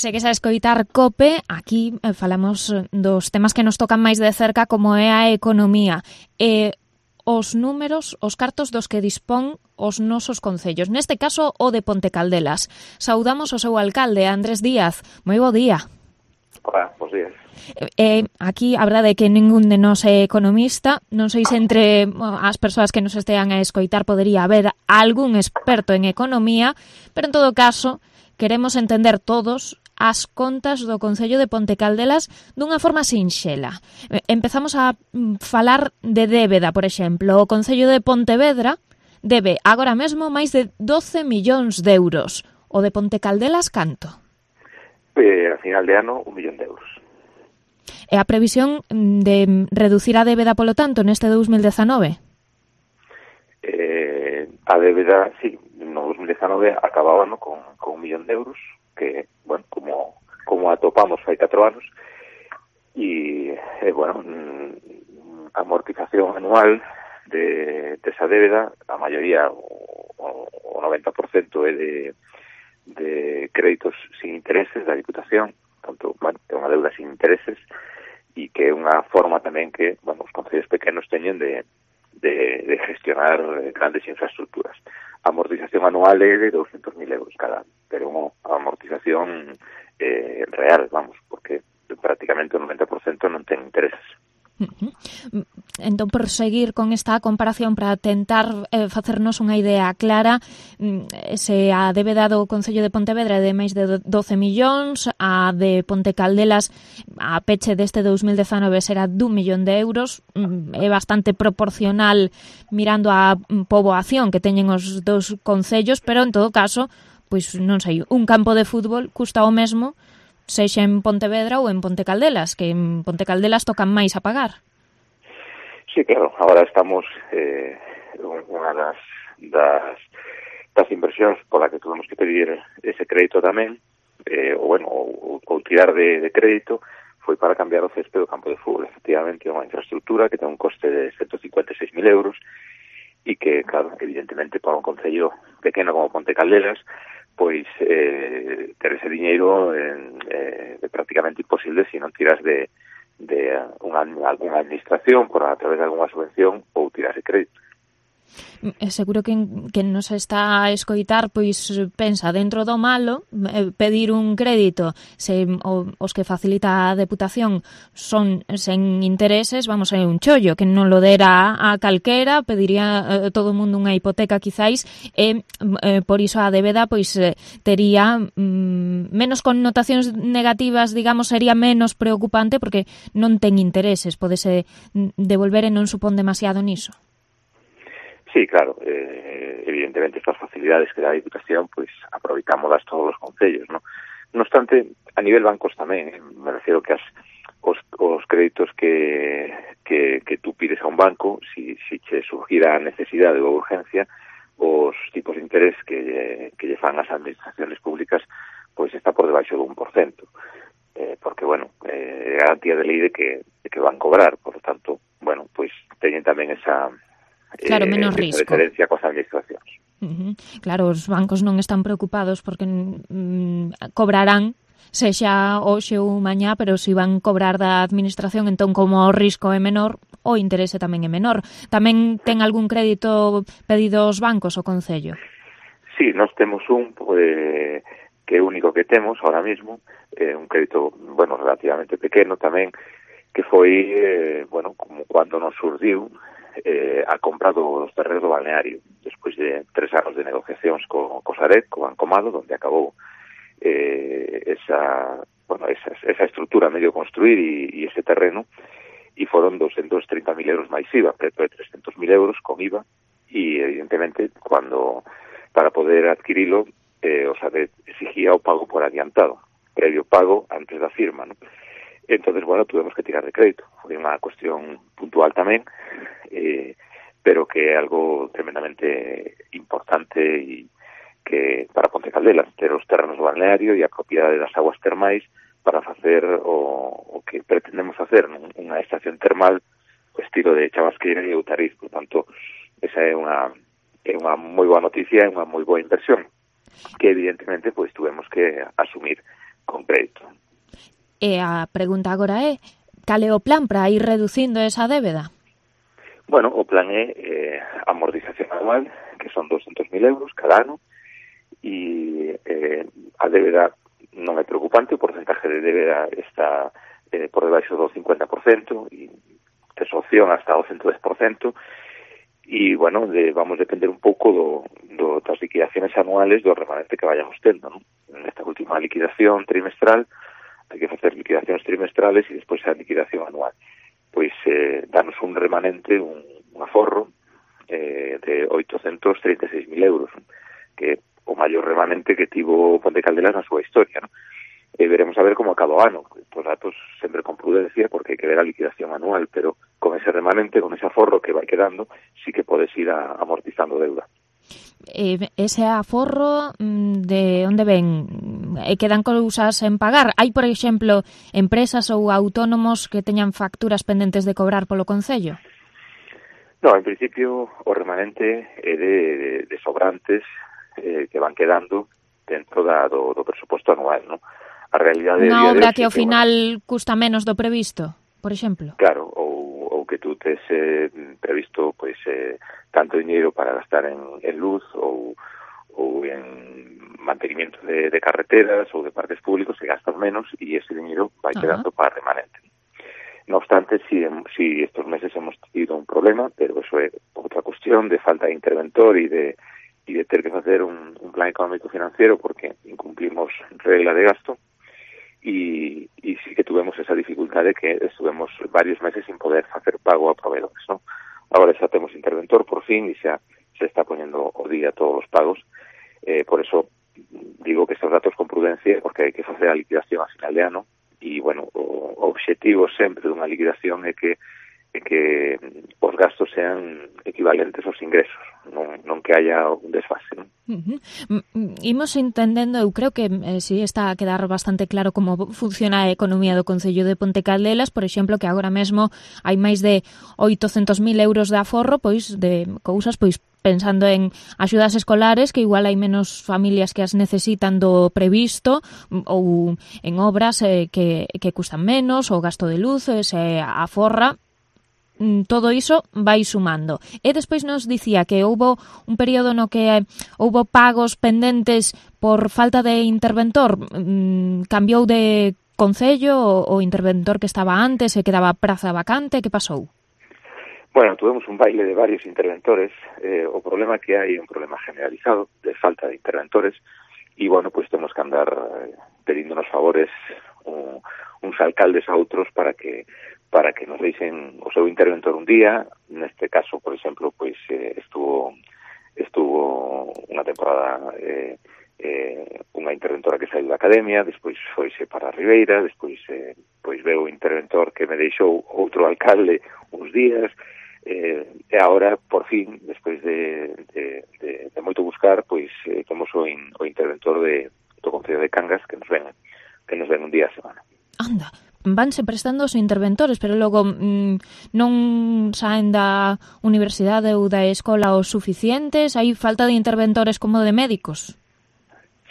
Segues a escoitar COPE, aquí falamos dos temas que nos tocan máis de cerca como é a economía e os números, os cartos dos que dispón os nosos concellos. Neste caso, o de Ponte Caldelas. Saudamos o seu alcalde, Andrés Díaz. Moi bo día. Hola, bons días. Aquí a verdade é que ningún de nós é economista. Non sei se entre as persoas que nos estean a escoitar podería haber algún experto en economía, pero en todo caso queremos entender todos as contas do Concello de Ponte Caldelas dunha forma sinxela. Empezamos a falar de débeda, por exemplo. O Concello de Pontevedra debe agora mesmo máis de 12 millóns de euros. O de Ponte Caldelas, canto? A final de ano, 1 millón de euros. E a previsión de reducir a débeda, polo tanto, neste 2019? A débeda, sí, no 2019 acabábamos con 1 millón de euros, que, bueno, como atopamos hai 4 anos, e, bueno, amortización anual de esa débeda, a maioría, o 90% é de créditos sin intereses da Diputación, tanto, bueno, é unha deuda sin intereses, e que é unha forma tamén que, bueno, os concellos pequenos teñen de gestionar grandes infraestructuras. A amortización anual é de 200.000 euros cada ano, pero unha amortización real, vamos, porque prácticamente o 90% non ten intereses. Entón, por seguir con esta comparación para tentar facernos unha idea clara, se a débeda do Concello de Pontevedra é de máis de 12 millóns, a de Ponte Caldelas a peche deste 2019 será d'1 millón de euros, é bastante proporcional mirando a poboación que teñen os dous concellos, pero en todo caso, pois non sei, un campo de fútbol custa o mesmo sexa en Pontevedra ou en Ponte Caldelas, que en Ponte Caldelas tocan máis a pagar. Sí, claro, agora estamos unha das inversións pola que tuvemos que pedir ese crédito tamén, ou tirar de crédito, foi para cambiar o césped do campo de fútbol. Efectivamente, é unha infraestructura que ten un coste de 156.000 euros e que, claro, evidentemente, para un concello pequeno como Ponte Caldelas, pois ter ese diñeiro é prácticamente imposible se non tiras de alguna administración a través de alguna subvención ou tiras de crédito. Seguro que nos está a escoitar, pois pensa dentro do malo pedir un crédito, se os que facilita a Deputación son sen intereses, vamos, é un chollo que non lo dera a calquera, pediría todo o mundo unha hipoteca quizáis, e por iso a débeda pois tería menos connotacións negativas, digamos, sería menos preocupante porque non ten intereses, podese devolver e non supón demasiado niso. Sí, claro, evidentemente estas facilidades que dá a Diputación, pois aproveitámolas todos os concellos, ¿no? No obstante, a nivel bancos tamén, me refiero que os créditos que tú pides a un banco, si che surgira a necesidade ou urgencia, os tipos de interés que lle fan as administraciones públicas, pois está por debaixo do 1%, porque, bueno, é garantía de lei de que van cobrar, por lo tanto, bueno, pois teñen tamén esa... Claro, menos risco. Diferencia coas administracións. Claro, os bancos non están preocupados porque cobrarán sexa hoxe ou mañá, pero se van cobrar da administración, entón como o risco é menor, o interese tamén é menor. Tamén ten algún crédito pedido aos bancos o Concello? Sí, nós temos un que é o único que temos ahora mismo, un crédito, bueno, relativamente pequeno tamén, que foi, bueno, como cando nos surdiu a compra dos terrenos do balneario, despois de 3 anos de negociacións co Sareb, co Banco Malo, onde acabou esa estrutura medio construir e ese terreno, e foron 230.000 euros máis IVA, preto de 300.000 euros con IVA, e evidentemente, para poder adquirilo, o Sareb exigía o pago por adiantado, previo pago antes da firma, ¿no? Entonces, bueno, tuvemos que tirar de crédito. Foi unha cuestión puntual tamén, pero que é algo tremendamente importante e que para Ponte Caldelas, ter os terrenos do balneario e a propiedade das aguas termais para facer o que pretendemos facer unha estación termal o estilo de Chabasqueira e Outariz. Por tanto, esa é unha moi boa noticia, é unha moi boa inversión que evidentemente pois tuvemos que asumir con crédito. E a pregunta agora é, cal é o plan para ir reducindo esa débeda? Bueno, o plan é amortización anual, que son 200.000 euros cada ano, e a débeda non é preocupante, o porcentaje de débeda está por debaixo do 50%, e tes opción hasta o 110%, e, bueno, vamos depender un pouco das liquidaciones anuales do remanente que vayamos tendo, non? Nesta última liquidación trimestral, hai que facer liquidacións trimestrales e despois a liquidación anual. Pois danos un remanente, un aforro de 836.000 euros, que é o maior remanente que tivo Ponte Caldelas na súa historia, non? Veremos a ver como acaba o ano. Os datos sempre con prudencia, porque hai que ver a liquidación anual, pero con ese remanente, con ese aforro que vai quedando, sí que podes ir amortizando deuda. Ese aforro, de onde ven? Quedan cousas en pagar? Hai, por exemplo, empresas ou autónomos que teñan facturas pendentes de cobrar polo Concello? No, en principio o remanente é de sobrantes que van quedando dentro do presuposto anual, non? A realidade unha obra que ao final custa menos do previsto, por exemplo? Claro, ou que tú tes previsto pois tanto dinheiro para gastar en luz ou en mantenimiento de carreteras ou de parques públicos, se gastas menos e ese dinheiro vai quedando para remanente. No obstante, si estos meses hemos tenido un problema, pero eso é outra cuestión de falta de interventor e de ter que facer un plan económico financiero porque incumplimos regla de gasto, y sí que tuvemos esa dificultade que estuvemos varios meses sin poder facer pago a proveedores, ¿no? Agora xa temos interventor por fin e xa se está poñendo o día todos os pagos, por eso digo que estos datos con prudencia, porque hai que facer a liquidación a final de ano, e, bueno, o obxectivo sempre dunha liquidación é que os gastos sean equivalentes aos ingresos, non que haya un desfase, non? Imos entendendo, eu creo que si está a quedar bastante claro como funciona a economía do Concello de Ponte Caldelas, por exemplo, que agora mesmo hai máis de 800.000 euros de aforro, pois de cousas, pois pensando en axudas escolares, que igual hai menos familias que as necesitan do previsto, ou en obras que custan menos, o gasto de luz, se aforra. Todo iso vai sumando. E despois nos dicía que houbo un período no que houbo pagos pendentes por falta de interventor. Cambiou de concello o interventor que estaba antes e quedaba praza vacante? Que pasou? Bueno, tuvemos un baile de varios interventores. O problema que hai é un problema generalizado de falta de interventores e, bueno, pues temos que andar pedíndonos favores uns alcaldes a outros para que nos deixen o seu interventor un día. Neste caso, por exemplo, pois estuvo unha temporada unha interventora que saiu da academia, despois foise para a Ribeira, despois pois veu o interventor que me deixou outro alcalde uns días, e agora, por fin, despois de moito buscar, pois temos o interventor do Concello de Cangas que nos ven un día a semana. Anda, vanse prestando os interventores, pero logo non saen da universidade ou da escola os suficientes? Hai falta de interventores como de médicos?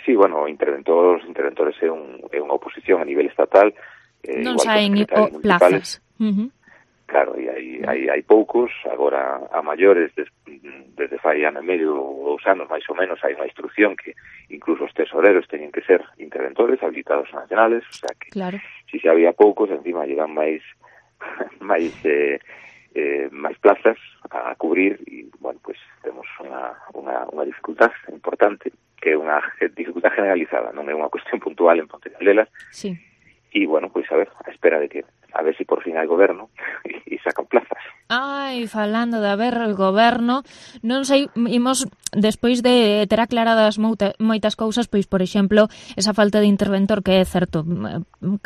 Sí, bueno, interventores é unha oposición a nivel estatal. Non saen plazas. Claro, e hai poucos, agora a maiores, desde fai ano e medio ou 2 anos, máis ou menos, hai unha instrucción que incluso os tesoreros teñen que ser interventores habilitados nacionales, o sea que claro. Si se había poucos, encima llegan máis plazas a cubrir e, bueno, pues temos unha dificultad importante, que é unha dificultad generalizada, non é unha cuestión puntual en Ponte Caldelas. Sí. E, bueno, pues a ver si a ver si por fin hai goberno e sacan plazas. Ai, falando de haber o goberno, non sei, imos despois de ter aclaradas moitas cousas, pois, por exemplo, esa falta de interventor que é certo,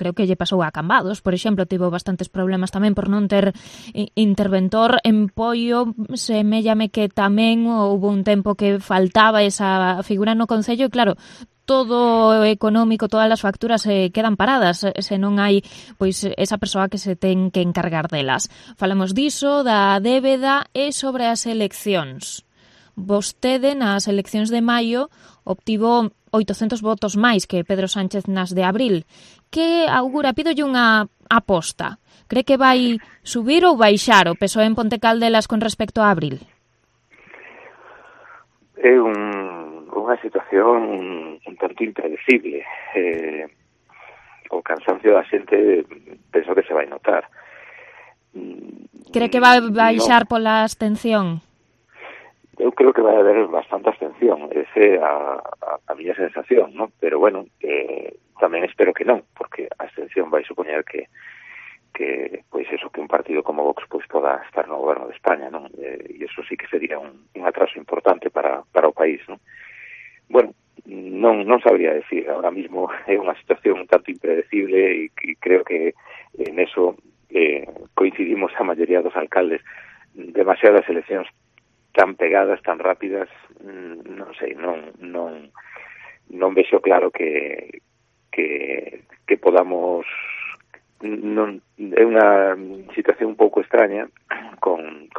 creo que lle pasou a Cambados, por exemplo, tivo bastantes problemas tamén por non ter interventor. En Poio, semellame que tamén houve un tempo que faltaba esa figura no Concello e, claro, todo o económico, todas as facturas quedan paradas se non hai pois esa persoa que se ten que encargar delas. Falamos diso, da débeda e sobre as eleccións. Vostede nas eleccións de maio obtivo 800 votos máis que Pedro Sánchez nas de abril. Que augura, pídolle unha aposta? Cree que vai subir ou baixar o PSOE en Ponte Caldelas con respecto a abril? É unha situación un tanto impredecible. O cansancio da xente penso que se vai notar. Cree que vai baixar pola abstención? Eu creo que vai haber bastante abstención, esa é a miña sensación, ¿no? Pero bueno, tamén espero que non, porque a abstención vai supoñer que pois eso, que un partido como Vox pois poda estar no goberno de España, non? E iso sí que sería un atraso importante para o país, non? Bueno, non sabría decir, ahora mismo é unha situación un tanto impredecible e creo que en eso coincidimos a maioría dos alcaldes. Demasiadas eleccións tan pegadas, tan rápidas, non sei, non vexo claro que podamos, non é unha situación un pouco extraña con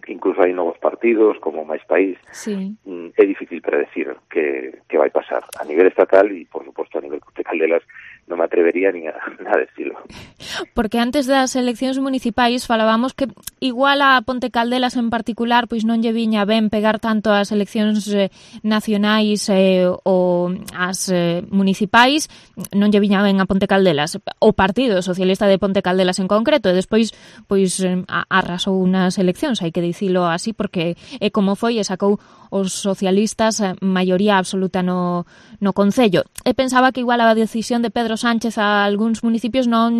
incluso hai novos partidos como Máis País. Sí. É difícil predecir que vai pasar a nivel estatal e, por suposto, a nivel de Caldelas non me atrevería nin a decirlo. Porque antes das eleccións municipais falábamos que igual a Ponte Caldelas en particular pois non lle viña ben pegar tanto as eleccións nacionais ou as municipais, non lle viña ben a Ponte Caldelas, o Partido Socialista de Ponte Caldelas en concreto, e despois pois arrasou unas eleccións, hai que dicilo así, porque é como foi e sacou os socialistas maioría absoluta no Concello. E pensaba que igual a decisión de Pedro Sánchez a algúns municipios non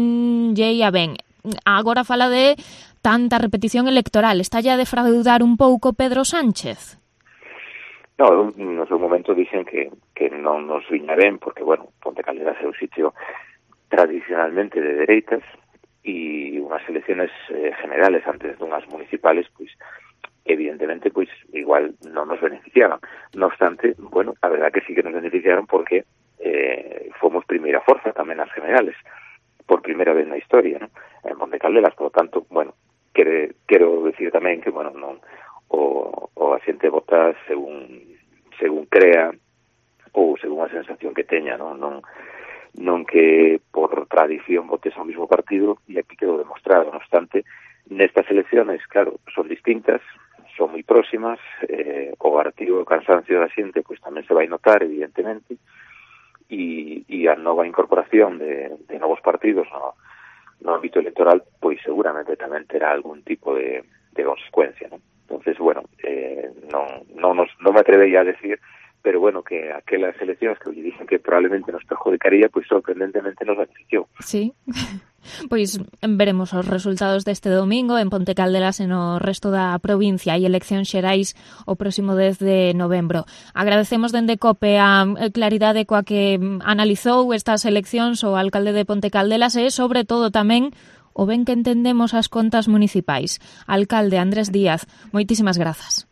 lle ia ben. Agora fala de tanta repetición electoral. Está a defraudar un pouco Pedro Sánchez? No, no seu momento dicen que non nos viña ben, porque, bueno, Ponte Caldelas é un sitio tradicionalmente de dereitas e unhas elecciones generales antes dunhas municipales, pois, evidentemente, pois, igual non nos beneficiaban. No obstante, bueno, a verdad que sí que nos beneficiaron porque fomos primeira forza tamén nas generales, por primeira vez na historia, ¿no? En Ponte Caldelas, por lo tanto, bueno, quero decir tamén que, bueno, non o a xente vota según crea ou según a sensación que teña, non que por tradición votes ao mismo partido, e aquí quedou demostrado. No obstante, nestas elecciones, claro, son distintas, son moi próximas, o artigo do cansancio da xente pois tamén se vai notar, evidentemente, e a nova incorporación de novos partidos no ámbito electoral pois seguramente tamén terá algún tipo de consecuencia, ¿no? Entonces, bueno, non me atrevería a decir, pero bueno, que aquelas eleccións que lle dicen que probablemente nos perjudicaría, pois sorprendentemente nos beneficiou. Sí. Pois veremos os resultados deste domingo en Ponte Caldelas e no resto da provincia e eleccións xerais o próximo 10 de novembro. Agradecemos dende COPE a claridade coa que analizou estas eleccións o alcalde de Ponte Caldelas e, sobre todo, tamén o ben que entendemos as contas municipais. Alcalde Andrés Díaz, moitísimas grazas.